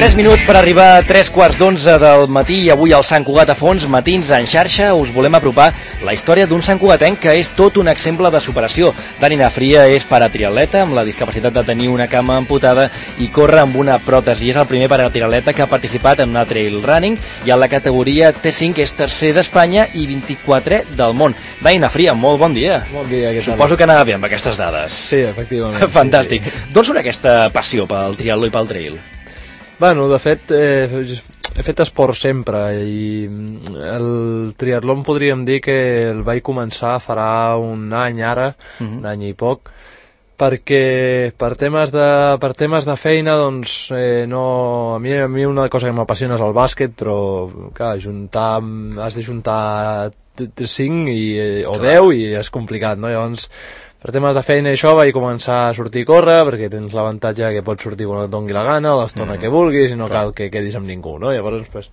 3 minuts per arribar a 3:15 del matí i avui al Sant Cugat a fons, Matins en xarxa, us volem apropar la història d'un Sant Cugatenc que és tot un exemple de superació. Dani Nafria és paratriatleta amb la discapacitat de tenir una cama amputada i corre amb una pròtesi. És el primer paratriatleta que ha participat en una trail running i en la categoria T5 és tercer d'Espanya i 24è del món. Dani Nafria, molt bon dia. Bon dia, què tal? Suposo que anava bé amb aquestes dades. Sí, efectivament. Fantàstic. Sí. D'on surt aquesta passió pel triatló i pel trail? Bueno, de fet, he fet esport sempre i el triatló podríem dir que el vaig començar farà un any ara, un any i poc, perquè per temes de feina, doncs, no, a mi una cosa que m'apassiona és el bàsquet, però, clar, has de juntar 5 o 10 i és complicat, no? Llavors, per temes de feina i això vaig començar a sortir a córrer, perquè tens l'avantatge que pots sortir quan et doni la gana, l'estona que vulguis, i no cal que quedis amb ningú, no? Llavors, pues,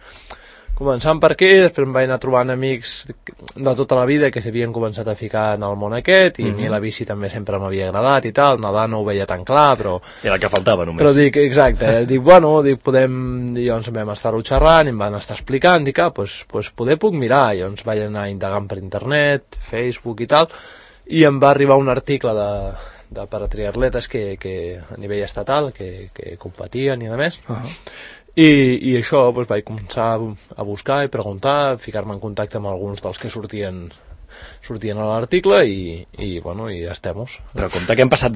començant per aquí, després em vaig anar trobant amics de tota la vida que s'havien començat a ficar en el món aquest, i a mi la bici també sempre m'havia agradat i tal, nedar no ho veia tan clar, però... Era el que faltava només. Però dic, exacte, podem... I llavors vam estar-ho xerrant, i em van estar explicant, dic, pues poder puc mirar, i llavors vaig anar indagant per internet, Facebook i tal, i em va arribar un article de paratriatletes que a nivell estatal que competien i a més i això doncs, vaig començar a buscar i preguntar, ficar-me en contacte amb alguns dels que sortien a l'article i ja estem. Però compte que passem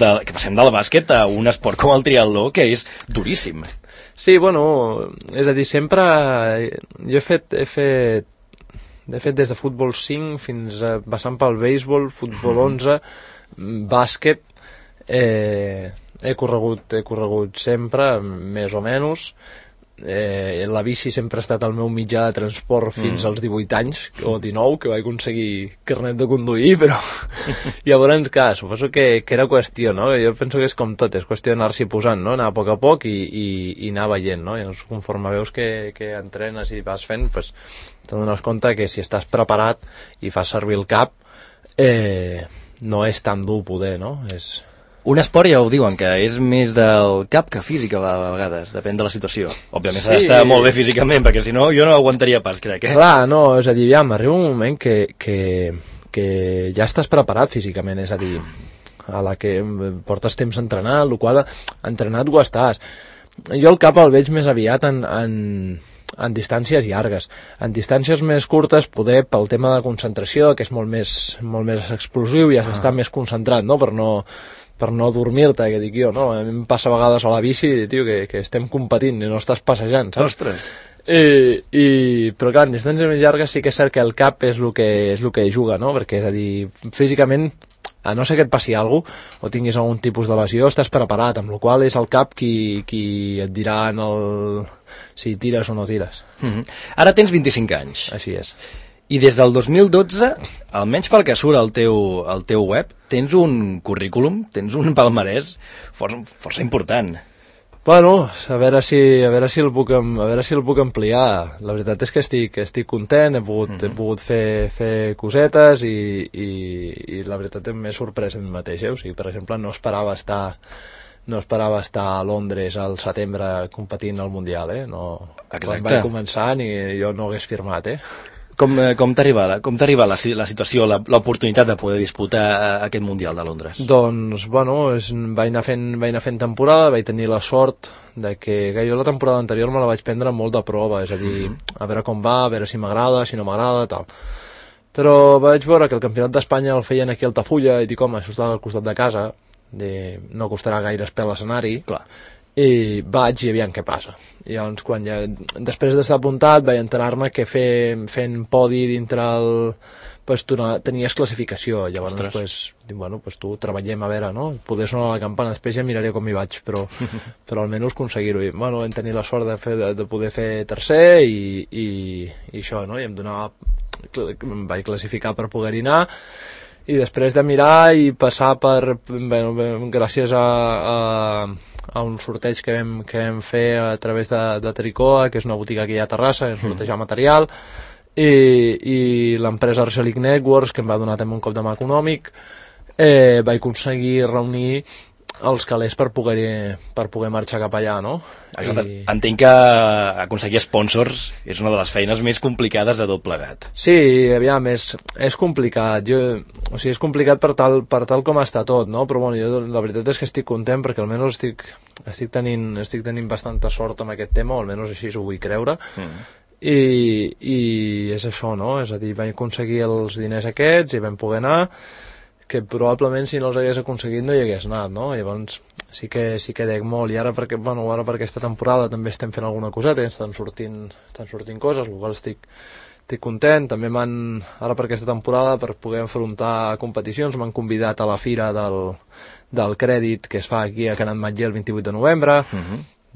del bàsquet a un esport com el triatló que és duríssim. Sí, és a dir, sempre jo he fet de fet, des de futbol 5 fins a passant pel béisbol, futbol 11, bàsquet, he corregut sempre, més o menys. La bici sempre ha estat el meu mitjà de transport fins als 18 anys, o 19, que vaig aconseguir carnet de conduir, però llavors, clar, suposo que era qüestió, no? Jo penso que és com tot, és qüestió d'anar-s'hi posant, no? Anar a poc i anar veient, no? Llavors, conforme veus que entrenes i vas fent, pues, t'adones compte que si estàs preparat i fas servir el cap, no és tan dur poder, no? Un esport ja ho diuen, que és més del cap que física a vegades, depèn de la situació. Òbviament s'ha d'estar molt bé físicament, perquè si no jo no aguantaria pas, crec. Clar, no, és a dir, arriba un moment que ja estàs preparat físicament, és a dir, a la que portes temps entrenant, el qual entrenat ho estàs. Jo el cap el veig més aviat en distàncies llargues. En distàncies més curtes, poder, pel tema de concentració, que és molt més explosiu i has d'estar més concentrat, no? Per no dormir-te, que dic jo, no? A mi em passa a vegades a la bici, tio, que estem competint i no estàs passejant, saps? Ostres! Però clar, en distàncies més llargues sí que és cert que el cap és el que juga, no? Perquè, és a dir, físicament, a no ser que et passi alguna cosa o tinguis algun tipus de lesió, estàs preparat, amb la qual és el cap qui et dirà si tires o no tires. Ara tens 25 anys. Així és. I des del 2012, almenys pel que surt al teu web, tens un currículum, tens un palmarès força important. Bueno, a veure si el puc ampliar. La veritat és que estic content, he pogut fer cosetes i la veritat m'he sorprès en mi mateix. O sigui, per exemple, no esperava estar a Londres al setembre competint al Mundial, no. Quan vaig començar ni jo no hagués firmat, Com t'ha arribat la situació, l'oportunitat de poder disputar aquest Mundial de Londres? Doncs, vaig anar fent temporada, vaig tenir la sort de que jo la temporada anterior me la vaig prendre molt de prova, és a dir, a veure com va, a veure si m'agrada, si no m'agrada, tal. Però vaig veure que el Campionat d'Espanya el feien aquí a Altafulla i dic, home, això està al costat de casa, no costarà gaire espel l'escenari, clar. I vaig i aviam què passa. I llavors, després d'estar apuntat, vaig enterar-me que fent podi dintre tenies classificació. Llavors, tu treballem a veure, no? Poder sonar la campana, després ja miraré com hi vaig, però almenys aconseguir-ho. I vam tenir la sort de poder fer tercer i això, no? I em vaig classificar per poder-hi anar. I després de mirar i passar gràcies a un sorteig que vam fer a través de Tricoa, que és una botiga aquí a Terrassa, en sortejar material, i l'empresa Arcelic Networks, que em va donar també un cop de mà econòmic, vaig aconseguir reunir els calés per poder marxar cap allà, no? Exacte. Entenc que aconseguir sponsors és una de les feines més complicades de tot plegat. Sí, aviam, és complicat. O sigui, és complicat per tal com està tot, no? Però bueno, jo la veritat és que estic content perquè almenys estic tenint bastanta sort amb aquest tema, o almenys així ho vull creure. I és això, no? És a dir, vam aconseguir els diners aquests i vam poder anar, que probablement si no els hagués aconseguit no hi hagués anat, no? Llavors sí que dec molt, i ara per aquesta temporada també estem fent alguna coseta, estan sortint coses, el qual estic content. També ara per aquesta temporada, per poder enfrontar competicions, m'han convidat a la fira del crèdit que es fa aquí a Can Ametller el 28 de novembre,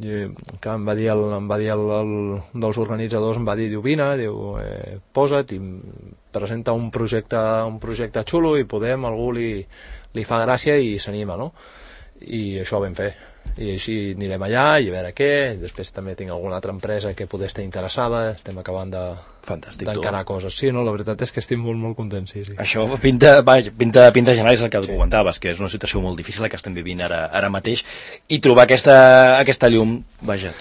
que em va dir dels organitzadors, diu, vine, posa't i presenta un projecte xulo i algú li fa gràcia i s'anima, no? I això ho vam fer. I així anirem allà i a veure què. Després també tinc alguna altra empresa que poder estar interessada, estem acabant d'encarar coses. Sí, no, la veritat és que estic molt, molt content, sí. Això pinta general, és el que comentaves, que és una situació molt difícil la que estem vivint ara mateix, i trobar aquesta llum,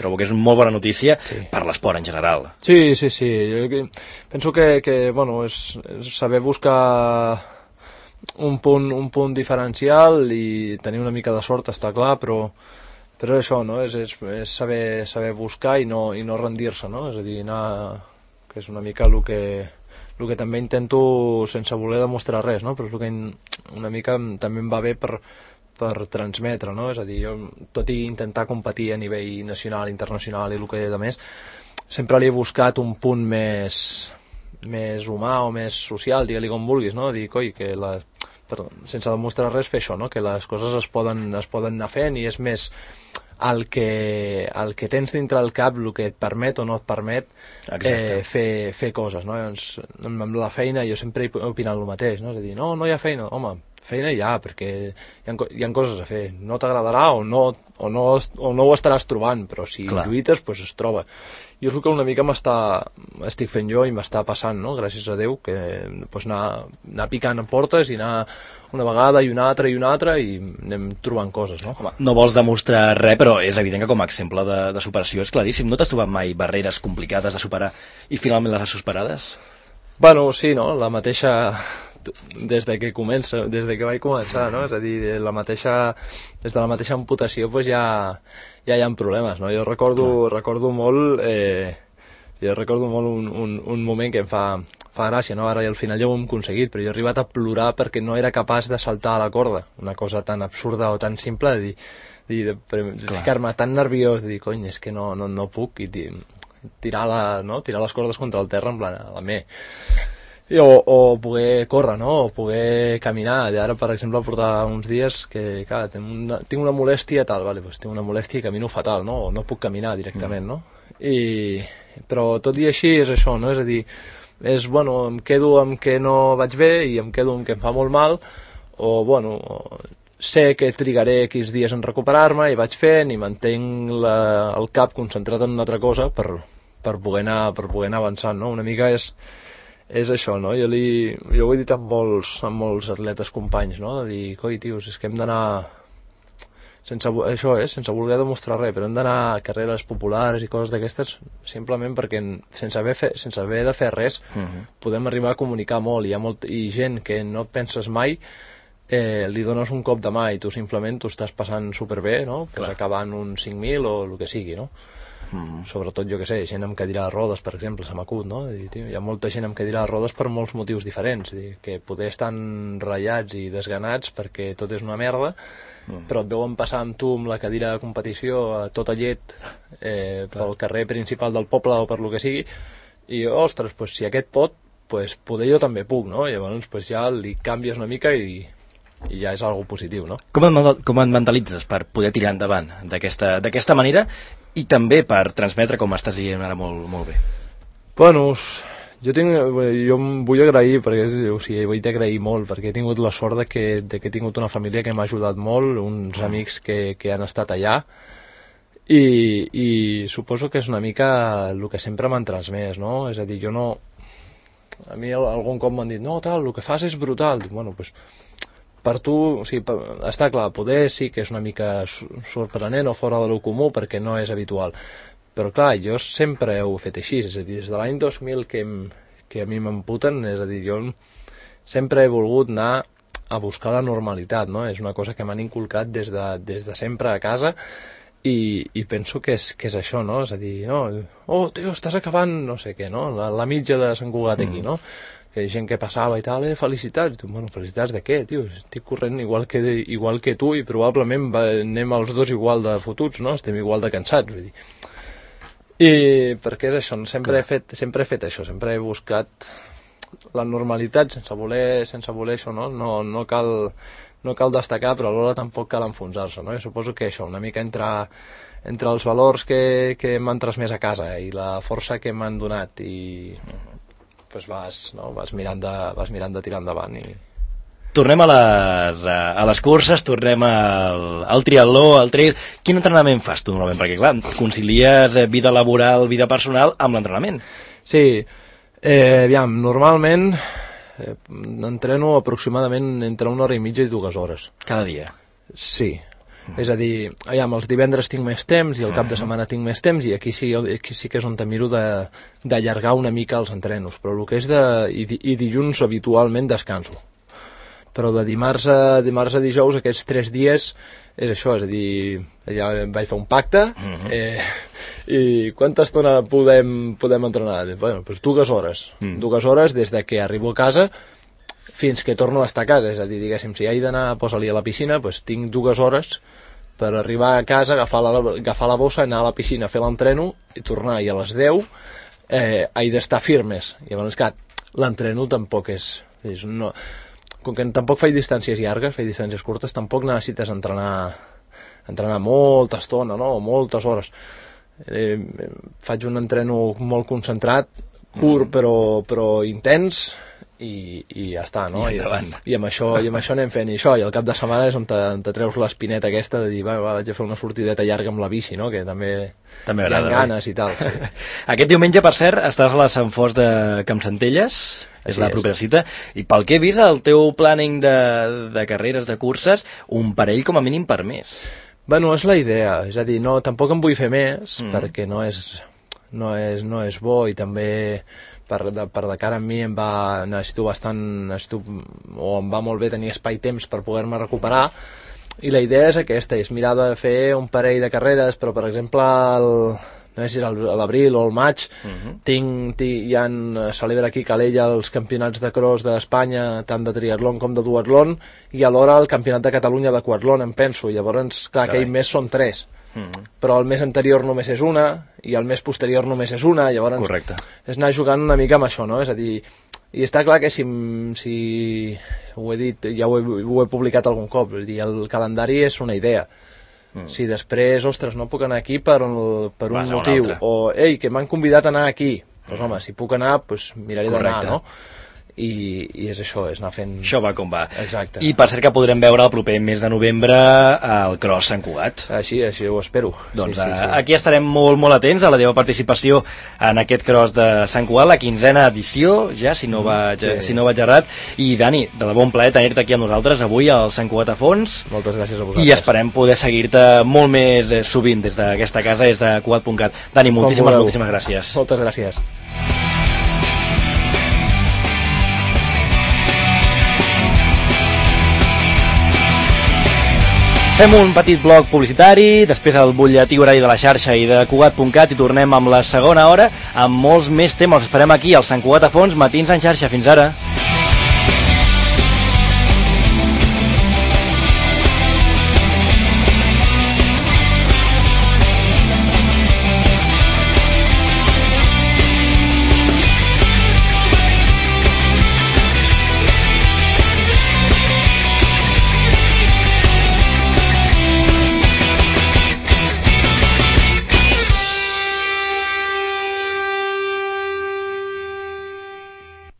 trobo que és una molt bona notícia per l'esport en general. Sí. Jo penso que bueno, és saber buscar un punt diferencial i tenir una mica de sort, està clar, però això, no? És saber buscar i no rendir-se, no? És a dir, que és una mica el que també intento sense voler demostrar res, no? Però és el que una mica també em va bé per transmetre, no? És a dir, jo, tot i intentar competir a nivell nacional, internacional i el que de més, sempre li he buscat un punt més humà o més social, digue-li com vulguis, no? Dir, coi, que sense demostrar res, fer això, no? Que les coses es poden anar fent, i és més el que tens dintre el cap, el que et permet o no et permet fer coses, no? Llavors, amb la feina jo sempre he opinat el mateix, no? És a dir, no hi ha feina, home, feina hi ha, perquè hi ha coses a fer. No t'agradarà o no ho estaràs trobant, però si lluites, doncs es troba. I és el que una mica estic fent jo i m'està passant, no? Gràcies a Déu, que anar picant a portes i anar una vegada i una altra i anem trobant coses, no? Home, no vols demostrar res, però és evident que com a exemple de superació és claríssim. No t'has trobat mai barreres complicades de superar i finalment les has superades? Bueno, sí, no? La mateixa... des de que vaig començar, no? És a dir, des de la mateixa amputació doncs ja hi ha problemes, no? Jo recordo molt un moment que em fa gràcia, no? Ara al final ja ho hem aconseguit, però jo he arribat a plorar perquè no era capaç de saltar a la corda, una cosa tan absurda o tan simple, de ficar-me tan nerviós, de dir, cony, és que no puc, i tirar les cordes contra el terra, en plan, a la me. O poder córrer, no? O poder caminar. Ara, per exemple, portar uns dies que, clar, tinc una molèstia tal, doncs tinc una molèstia i camino fatal, no? O no puc caminar directament, no? Però tot i així és això, no? És a dir, em quedo amb que no vaig bé i em quedo amb que em fa molt mal, sé que trigaré X dies en recuperar-me i vaig fent i mantenc el cap concentrat en una altra cosa per poder anar avançant, no? Una mica és això, no? Jo ho he dit amb molts atletes companys, no? De dir, coi, tios, és que hem d'anar sense voler demostrar res, però hem d'anar a carreres populars i coses d'aquestes simplement perquè sense haver de fer res podem arribar a comunicar molt, i gent que no et penses mai li dones un cop de mà i tu simplement t'ho estàs passant superbé, no? Pues acabant un 5.000 o el que sigui, no? Sobretot, jo que sé, gent amb cadira de rodes, per exemple, se m'acut, no? Hi ha molta gent amb cadira de rodes per molts motius diferents, que poder estan ratllats i desganats perquè tot és una merda, però et veuen passar amb tu amb la cadira de competició a tota llet pel carrer principal del poble o per lo que sigui, i ostres, si aquest pot, poder jo també puc, no? Llavors ja li canvies una mica i ja és algo positiu, no? Com et mentalitzes per poder tirar endavant d'aquesta manera i també per transmetre, com estàs dient ara molt bé? Bueno, jo em vull agrair, perquè vull agrair molt, perquè he tingut la sort de que he tingut una família que m'ha ajudat molt, uns amics que han estat allà, i suposo que és una mica el que sempre m'han transmès, no? És a dir, a mi algun cop m'han dit, no, tal, el que fas és brutal. Dic, bueno, per tu, o sigui, està clar, poder sí que és una mica sorprenent o fora de lo comú perquè no és habitual, però clar, jo sempre ho he fet així, és a dir, des de l'any 2000 que a mi m'emputen, és a dir, jo sempre he volgut anar a buscar la normalitat, no? És una cosa que m'han inculcat des de sempre a casa i penso que és això, no? És a dir, no, tio, estàs acabant, no sé què, no? La mitja de Sant Cugat aquí, no? Que gent que passava i tal, felicitats. Bueno, felicitats de què, tio? Estic corrent igual que tu i probablement anem els dos igual de fotuts, no? Estem igual de cansats, vull dir. I perquè és això, sempre he fet això, sempre he buscat la normalitat sense voler això, no? No cal destacar, però alhora tampoc cal enfonsar-se, no? Jo suposo que això, una mica entre els valors que m'han transmès a casa i la força que m'han donat i pues vas mirant de tirar endavant i... Tornem a les curses, tornem al triatló, al trail. Quin entrenament fas tu normalment? Perquè clar, concilies vida laboral, vida personal amb l'entrenament. Sí, aviam, normalment entreno aproximadament entre 1 hora i mitja i 2 hores. Cada dia? Sí. És a dir, aviam, els divendres tinc més temps i el cap de setmana tinc més temps i aquí sí que és on te miro d'allargar una mica els entrenos, però el que és i dilluns habitualment descanso. Però de dimarts a dijous aquests 3 dies és això, és a dir, ja vaig fer un pacte i quanta estona podem entrenar? Bueno, doncs 2 hores. 2 hores des de que arribo a casa fins que torno a estar a casa, és a dir, diguéssim, si he d'anar a posar-li a la piscina, doncs tinc 2 hores per arribar a casa, agafar la bossa, anar a la piscina, fer l'entreno i tornar, i a les 10 he d'estar firmes. I llavors, clar, l'entreno tampoc és no, com que tampoc faig distàncies llargues, faig distàncies curtes, tampoc necessites entrenar molta estona, no? O moltes hores. Faig un entreno molt concentrat, curt però intens, i ja està, no? I amb això anem fent això, i al cap de setmana és on te treus l'espineta aquesta de dir, vaig a fer una sortideta llarga amb la bici, no? Que també agrada, hi ha ganes i tal. Sí. Aquest diumenge, per cert, estàs a la Sant Fost de Campsentelles, és la propera cita, i pel que he vist el teu planning de carreres, de curses, un parell com a mínim per mes. Bueno, és la idea, és a dir, no, tampoc en vull fer més, perquè no és bo, i també per de cara a mi em va molt bé tenir espai-temps per poder-me recuperar, i la idea és aquesta, és mirar de fer un parell de carreres, però per exemple no sé si és a l'abril o al maig, celebra aquí a Calella els campionats de cross d'Espanya, tant de triatlon com de duatlon, i alhora el campionat de Catalunya de quatlon, em penso, llavors, clar, aquell mes són 3. Però el mes anterior només és una i el mes posterior només és una, llavors correcte. És anar jugant una mica amb això, no? És a dir, i està clar que si ho he dit, ja ho he publicat algun cop, és a dir, el calendari és una idea. Si després, ostres, no puc anar aquí per un motiu, o ei, que m'han convidat a anar aquí, doncs home, si puc anar, doncs miraré d'anar, no? I és això, és anar fent... Això va com va. Exacte. I per cert que podrem veure el proper mes de novembre al Cross Sant Cugat. Així ho espero. Doncs sí. Aquí estarem molt atents a la teva participació en aquest Cross de Sant Cugat, la 15a edició, ja, si no vaig errat. I Dani, de debò un plaer tenir-te aquí amb nosaltres avui al Sant Cugat a fons. Moltes gràcies a vosaltres. I esperem poder seguir-te molt més sovint des d'aquesta casa, des de Cugat.cat. Dani, moltíssimes gràcies. Moltes gràcies. Fem un petit bloc publicitari, després el butlletí horari de la xarxa i de Cugat.cat i tornem amb la segona hora amb molts més temes. Esperem aquí al Sant Cugat a fons, Matins en xarxa. Fins ara.